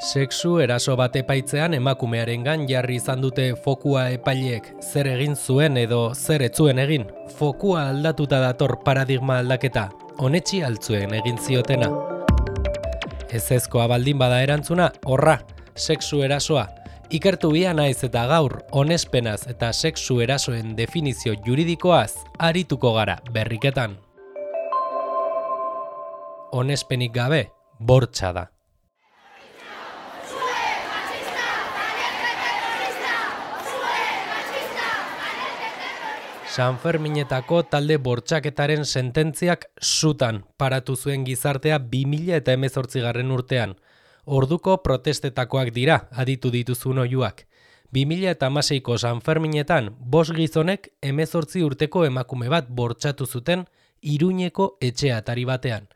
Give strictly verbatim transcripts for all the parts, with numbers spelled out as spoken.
Sexu eraso bat epaitzean emakumearengan jarri izan dute fokua epaileek zer egin zuen edo zer ez zuen egin. Fokua aldatuta dator paradigma aldaketa, onetsi altzuen egin ziotena. Ezezkoa baldin bada erantzuna, horra, sexu erasoa. Ikertu bia naiz eta gaur, onespenaz eta sexu erasoen definizio juridikoaz arituko gara berriketan. Onespenik gabe, bortxa da. Sanferminetako talde bortxaketaren sententziak sutan paratu zuen gizartea bi mila hemezortzigarren urtean. Orduko protestetakoak dira, aditu dituzun oihuak. bi mila hamaseiko Sanferminetan, bost gizonek hemezortzi urteko emakume bat bortxatu zuten Iruñeko etxe atari batean.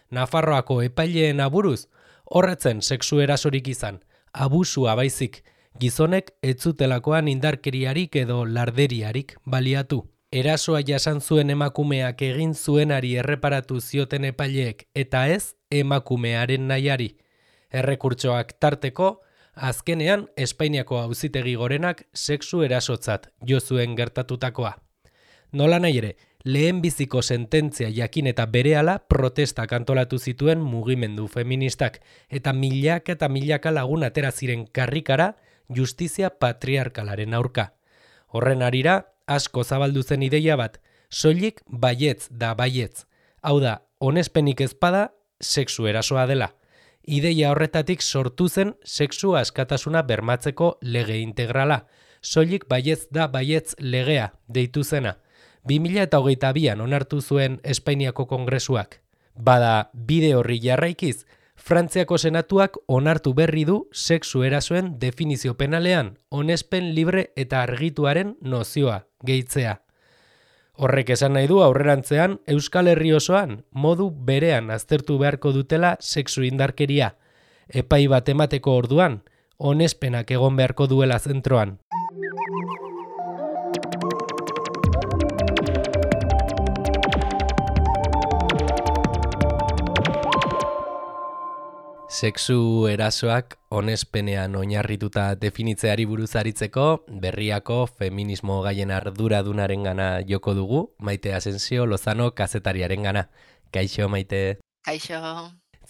Nafarroako epaileen aburuz, horretzen sexu erasorik izan, abusua baizik, gizonek ez zutelakoan indarkeriarik edo larderiarik baliatu. Erasoa jasan zuen emakumeak egin zuenari erreparatu zioten epaileek eta ez emakumearen nahiari. Errekurtsoak tarteko, azkenean Espainiako Auzitegi Gorenak sexu erasotzat jo zuen gertatutakoa. Nola nahi ere, lehenbiziko sententzia jakin eta berehala protestak antolatu zituen mugimendu feministak eta milaka eta milaka lagun atera ziren karrikara justizia patriarkalaren aurka. Horren harira, asko zabaldu zen ideia bat, soilik baietz da baietz. Hau da, onespenik ezpada, sexu erasoa dela. Ideia horretatik sortu zen sexu askatasuna bermatzeko lege integrala. Soilik baietz da baietz legea deitu zena. bi mila hogeita bian onartu zuen Espainiako Kongresuak. Bada, bide horri jarraikiz, Frantziako Senatuak onartu berri du sexu erasoen definizio penalean, onespen libre eta argituaren nozioa gehitzea. Horrek esan nahi du aurrerantzean Euskal Herri osoan modu berean aztertu beharko dutela sexu indarkeria. Epai bat emateko orduan, onespenak egon beharko duela zentroan. Sexu erasoak onespenean oinarrituta definitzeari buruz aritzeko, berriako feminismo gaien arduradunarengana joko dugu, Maite Asensio Lozano kazetariarengana. Kaixo, Maite. Kaixo.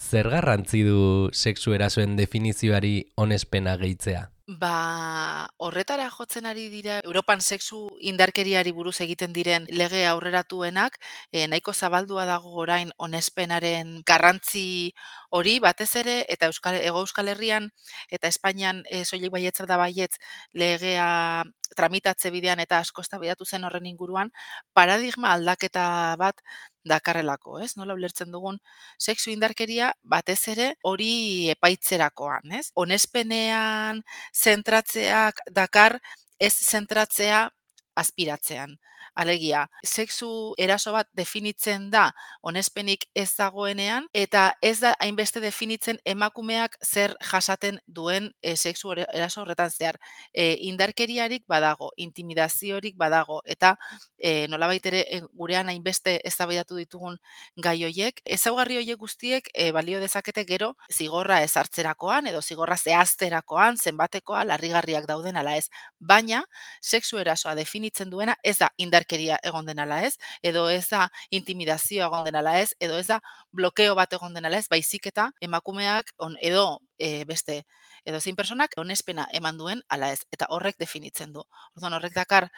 Zer garrantzi du sexu erasoen definizioari onespena gehitzea? Ba, horretara jotzen ari dira Europan sexu indarkeriari buruz egiten diren lege aurreratuenak, eh, nahiko zabaldua dago orain onespenaren garrantzi hori batez ere eta Euskal Hego Euskal Herrian eta Espainian eh, soilik baietz da baietz legea tramitatze bidean eta asko eztabaidatu zen horren inguruan, paradigma aldaketa bat dakarrelako, ez? Nola ulertzen dugun sexu indarkeria batez ere hori epaitzerakoan, ez? Onespenean zentratzeak dakar ez zentratzea aspiratzean. Alegia, sexu eraso bat definitzen da onespenik ez dagoenean eta ez da hainbeste definitzen emakumeak zer jasaten duen e, sexu eraso horretan zehar. E, indarkeriarik badago, intimidaziorik badago eta e, nolabait ere e, gurean hainbeste eztabaidatu ditugun gai hoiek, ezaugarri hoiek guztiek e, balio dezakete gero zigorra ezartzerakoan edo zigorra zehazterakoan, zenbatekoa, larrigarriak dauden ala ez. Baina, sexu erasoa definitzen duena ez da indarkeria egon den ala ez, edo ez da intimidazioa egon den ala ez, edo ez da blokeo bat egon den ala ez, baizik eta emakumeak on, edo e, beste edo zein personak onespena eman duen ala ez, eta horrek definitzen du. Orduan horrek dakar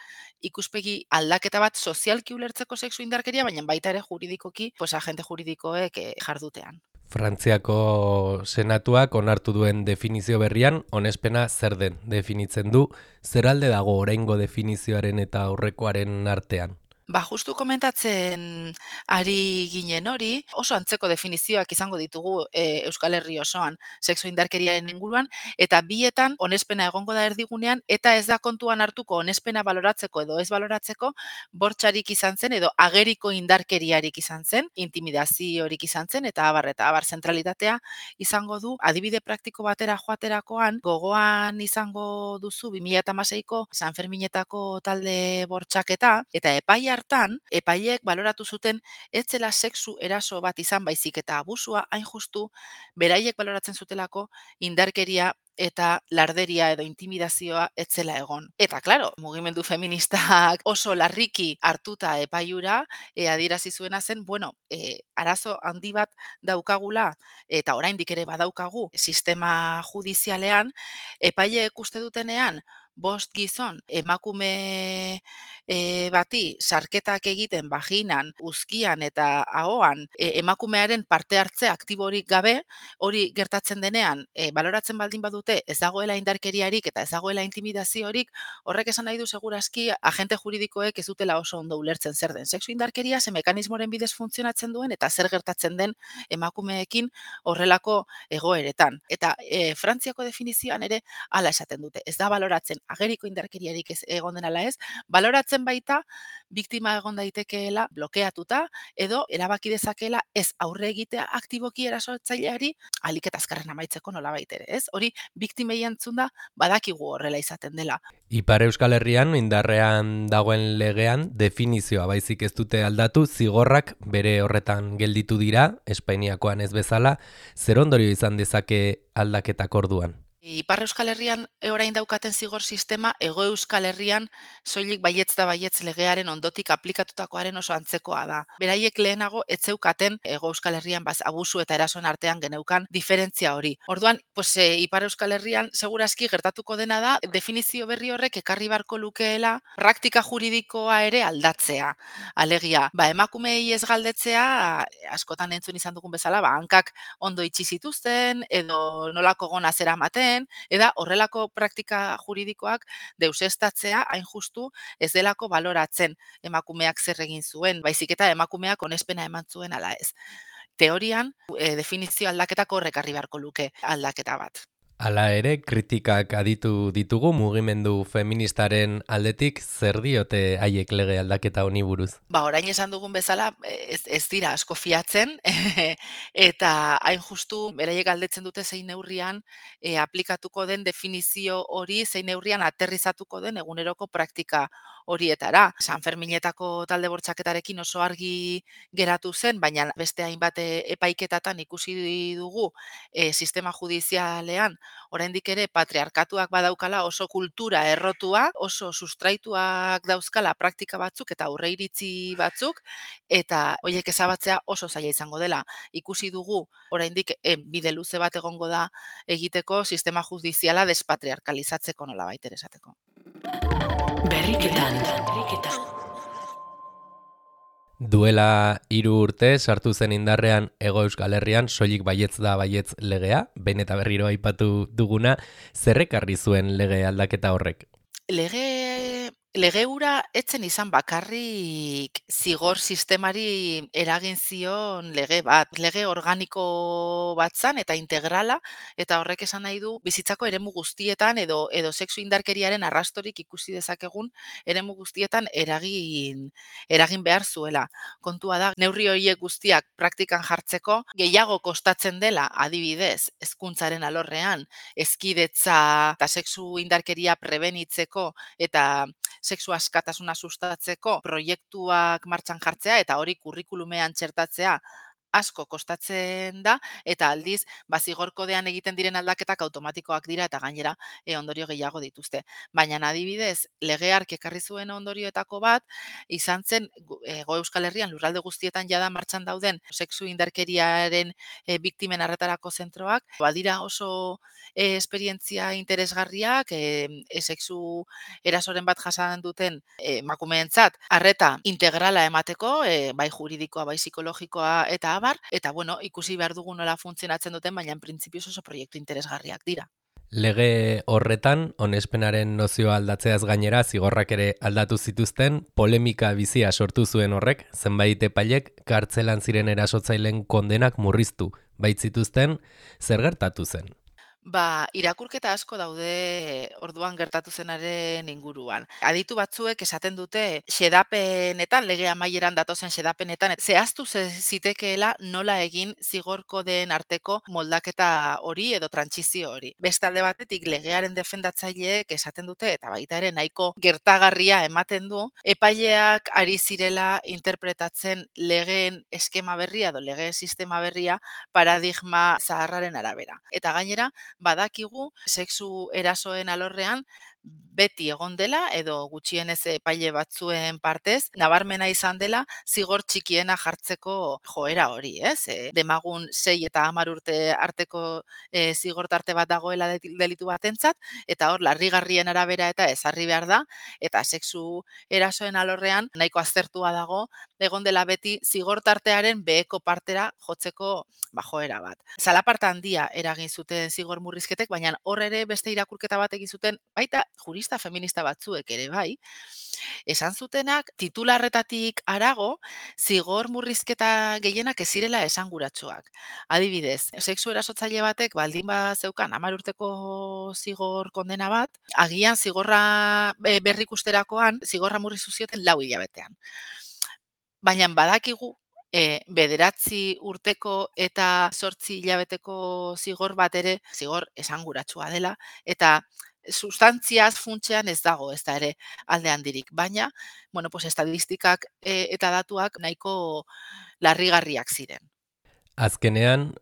ikuspegi aldaketa bat sozialki ulertzeko sexu indarkeria, baina baita ere juridikoki, pues agente juridikoek e, jardutean. Frantziako Senatuak onartu duen definizio berrian, onespena zer den definitzen du, zer alde dago oraingo definizioaren eta aurrekoaren artean? Ba, justu komentatzen ari ginen hori, oso antzeko definizioak izango ditugu e, Euskal Herri osoan sexu indarkeriaren inguruan, eta bietan onespena egongo da erdigunean, eta ez da kontuan hartuko onespena baloratzeko edo ez baloratzeko, bortxarik izan zen edo ageriko indarkeriarik izan zen, intimidaziorik izan zen, eta abar, eta abar zentralitatea izango du, adibide praktiko batera joaterakoan, gogoan izango duzu bi mila hamaseiko Sanferminetako talde bortxaketa, eta epaia hartan, epaileek baloratu zuten ez zela sexu eraso bat izan baizik eta abusua hain justu beraiek baloratzen zutelako indarkeria eta larderia edo intimidazioa ez zela egon. Eta claro, mugimendu feministak oso larriki hartuta epaiura e, adierazi zuena zen, bueno, e, arazo handi bat daukagula eta oraindik ere badaukagu sistema judizialean, epaileek uste dutenean bost gizon emakume e, bati sarketak egiten vaginan, uzkian eta ahoan e, emakumearen parte hartze aktiborik gabe, hori gertatzen denean, e, baloratzen baldin badute ez dagoela indarkeriarik eta ez dagoela intimidaziorik, horrek esan nahi du segurazki agente juridikoek ez dutela oso ondo ulertzen zer den sexu indarkeria, ze mekanismoren bidez funtzionatzen duen eta zer gertatzen den emakumeekin horrelako egoeretan. Eta e, Frantziako definizioan ere hala esaten dute, ez da baloratzen ageriko indarkeriarik ez egon den ala ez, baloratzen baita biktima egon daitekeela blokeatuta edo erabaki dezakeela ez aurre egitea aktiboki erasotzaileari ahalik eta azkarren amaitzeko nolabait ere, ez? Hori biktimei entzunda badakigu horrela izaten dela. Ipar Euskal Herrian indarrean dagoen legean definizioa baizik ez dute aldatu, zigorrak bere horretan gelditu dira, Espainiakoan ez bezala, zer ondorio izan dezake aldaketak orduan? Ipar Euskal Herrian orain daukaten zigor sistema, Hego Euskal Herrian soilik baietz da baietz legearen ondotik aplikatutakoaren oso antzekoa da. Beraiek lehenago ez zeukaten Hego Euskal Herrian baz abusu eta erasoen artean geneukan diferentzia hori. Orduan, pues, e, Ipar Euskal Herrian segurazki gertatuko dena da definizio berri horrek ekarri barko lukeela praktika juridikoa ere aldatzea. Alegia, ba emakumeei ez galdetzea, askotan entzun izan dugun bezala, ba hankak ondo itxi zituzten edo nolako gona zeramaten, eta horrelako praktika juridikoak deusestatzea hain justu ez delako baloratzen emakumeak zer egin zuen, baizik eta emakumeak onespena eman zuen ala ez. Teorian, e, definizio aldaketak horrek ekarri beharko luke aldaketa bat. Hala ere, kritikak aditu ditugu mugimendu feministaren aldetik, zer diote haiek lege aldaketa honi buruz? Ba, orain esan dugun bezala, ez, ez dira asko fiatzen, eta hain justu beraiek galdetzen dute zein neurrian e, aplikatuko den definizio hori, zein neurrian aterrizatuko den eguneroko praktika horietara. San Ferminetako talde bortxaketarekin oso argi geratu zen, baina beste hainbat epaiketatan ikusi dugu e, sistema judizialean oraindik ere patriarkatuak badaukala oso kultura errotua, oso sustraituak dauzkala praktika batzuk eta aurreiritzi batzuk, eta horiek ezabatzea oso zaila izango dela. Ikusi dugu oraindik e, bide luze bat egongo da egiteko sistema judiziala despatriarkalizatzeko nolabait ere esateko. Berriketan, berriketan. Duela hiru urte sartu zen indarrean Hego Euskal Herrian soilik baietz da baietz legea, behin eta berriro aipatu duguna, zer ekarri zuen lege aldaketa horrek? Lege, lege hura etzen izan bakarrik zigor sistemari eragin zion lege bat. Lege organiko bat zan eta integrala, eta horrek esan nahi du bizitzako eremu guztietan edo edo sexu indarkeriaren arrastorik ikusi dezakegun eremu guztietan eragin eragin behar zuela. Kontua da, neurri horiek guztiak praktikan jartzeko gehiago kostatzen dela, adibidez, hezkuntzaren alorrean, hezkidetza eta sexu indarkeria prebenitzeko eta sexu askatasuna sustatzeko proiektuak martxan jartzea eta hori kurrikulumean txertatzea asko kostatzen da, eta aldiz, bazigor kodean egiten diren aldaketak automatikoak dira eta gainera e, ondorio gehiago dituzte. Baina adibidez, lege hark ekarri zuen ondorioetako bat, izan zen Hego Euskal Herrian lurralde guztietan jada martxan dauden sexu indarkeriaren e, biktimen arretarako zentroak, badira oso e, esperientzia interesgarriak, e, e, sexu erasoren bat jasan duten emakumeentzat arreta integrala emateko, e, bai juridikoa, bai psikologikoa eta abar, eta bueno, ikusi behar dugu nola funtzionatzen duten, baina en printzipioz oso proiektu interesgarriak dira. Lege horretan, onespenaren nozioa aldatzeaz gainera, zigorrak ere aldatu zituzten, polemika bizia sortu zuen horrek, zenbait epailek kartzelan ziren erasotzaileen kondenak murriztu baitzituzten, zer gertatu zen? Ba, irakurketa asko daude orduan gertatu zenaren inguruan. Aditu batzuek esaten dute xedapenetan, lege amaieran datozen xedapenetan, zehaztu ze- zitekeela nola egin zigor kodeen arteko moldaketa hori edo trantsizio hori. Beste alde batetik legearen defendatzaileek esaten dute, eta baita ere nahiko gertagarria ematen du, epaileak ari zirela interpretatzen legeen eskema berria edo legeen sistema berria paradigma zaharraren arabera. Eta gainera, badakigu sexu erasoen alorrean beti egon dela edo gutxienez epaile batzuen partez nabarmena izan dela zigor txikiena jartzeko joera hori, ez? E, demagun sei eta hamar urte arteko e, zigor tarte bat dagoela de- delitu batentzat eta hor larrigarrien arabera eta ezarri behar da eta sexu erasoen alorrean nahiko aztertua dago egon dela beti zigor tartearen beheko partera jotzeko ba, joera bat. Zalaparta handia eragin zuten zigor murrizketek, baina hor ere beste irakurketa bat egin zuten, baita jurista feminista batzuek ere bai, esan zutenak titularretatik harago zigor murrizketa gehienak ez zirela esanguratsuak. Adibidez, sexu erasotzaile batek baldin bat zeukan hamar urteko zigor kondena bat, agian zigorra e, berrikusterakoan zigorra murriztu zioten lau hilabetean. Baina badakigu e, bederatzi urteko eta zortzi hilabeteko zigor bat ere zigor esanguratsua dela eta sustantziaz funtsean ez dago ez da ere alde handirik. Baina, bueno, pues estadistikak e, eta datuak nahiko larrigarriak ziren. Azkenean,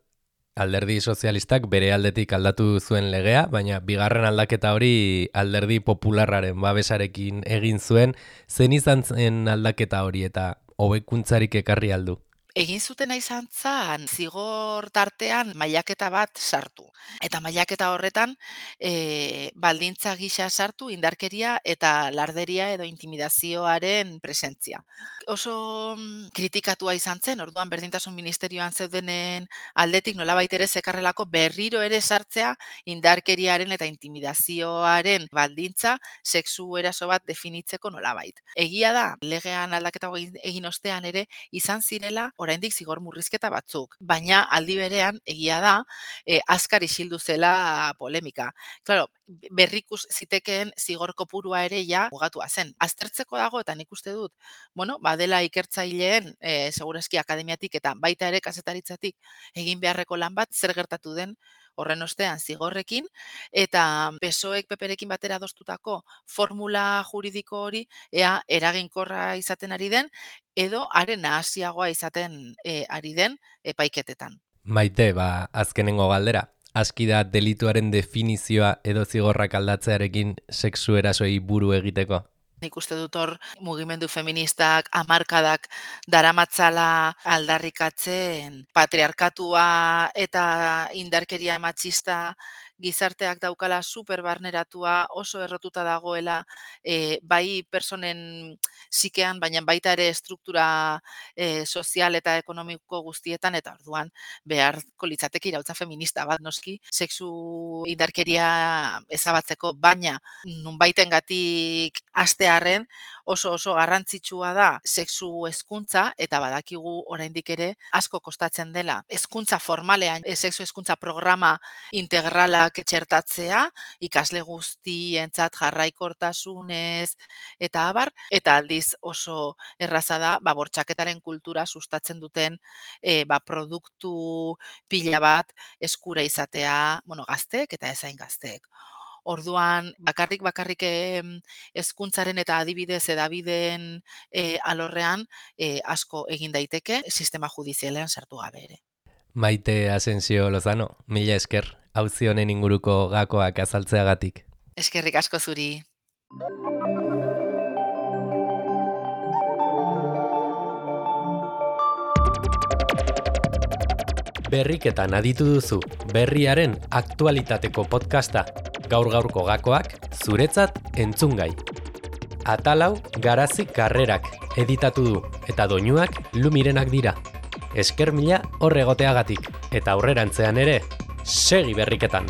alderdi sozialistak bere aldetik aldatu zuen legea, baina bigarren aldaketa hori alderdi popularraren babesarekin egin zuen. Zen izan zen aldaketa hori eta hobekuntzarik ekarri aldu? Egin zutena izan zan, zigor tartean mailaketa bat sartu. Eta mailaketa horretan e, baldintza gisa sartu indarkeria eta larderia edo intimidazioaren presentzia. Oso mm, kritikatua izan zen, orduan berdintasun ministerioan zeudenen aldetik nolabait ere zekarrelako berriro ere sartzea indarkeriaren eta intimidazioaren baldintza sexu eraso bat definitzeko nolabait. Egia da, legean aldaketa egin, egin ostean ere izan zirela oraindik zigor murrizketa batzuk, baina aldi berean egia da e, azkar isildu zela polemika. Claro, berrikus zitekeen zigor kopurua ere ja mugatua zen. Aztertzeko dago eta nik uste dut, bueno, badela ikertzaileen e, segurazki akademiatik eta baita ere kazetaritzatik egin beharreko lan bat zer gertatu den horren ostean zigorrekin, eta P S O Ek P Perekin batera adostutako formula juridiko hori ea eraginkorra izaten ari den, edo haren nahasiagoa izaten e, ari den epaiketetan. Maite, ba, azkenengo galdera. Aski da delituaren definizioa edo zigorrak aldatzearekin sexu erasoi buru egiteko? Nik uste dut hor mugimendu feministak hamarkadak daramatzala aldarrikatzen patriarkatua eta indarkeria matxista gizarteak daukala superbarneratua, oso errotuta dagoela e, bai personen sikean, baina baita ere struktura e, sozial eta ekonomiko guztietan, eta orduan beharko litzateke iraultza feminista bat noski, sexu indarkeria ezabatzeko, baina nunbaitengatik hastearren oso oso garrantzitsua da sexu hezkuntza eta badakigu oraindik ere asko kostatzen dela hezkuntza formalean, e, sexu hezkuntza programa integralak txertatzea, ikasle guztientzat jarraikortasunez eta abar, eta aldiz oso erraza da ba, bortxaketaren kultura sustatzen duten e, ba, produktu pila bat eskura izatea, bueno, gazteek eta ezain gazteek. Orduan, bakarrik bakarrik hezkuntzaren eta adibidez edabideen e, alorrean e, asko egin daiteke sistema judizialean sartu gabe ere. Maite Asensio Lozano, mila esker, auzi honen inguruko gakoak azaltzeagatik. Eskerrik asko zuri. Berriketan aditu duzu, berriaren aktualitateko podcasta. Gaur-gaurko gakoak zuretzat entzungai. Atalau Garazi Karrerak editatu du eta doinuak Lumirenak dira. Esker mila hor egoteagatik eta aurrerantzean ere segi berriketan.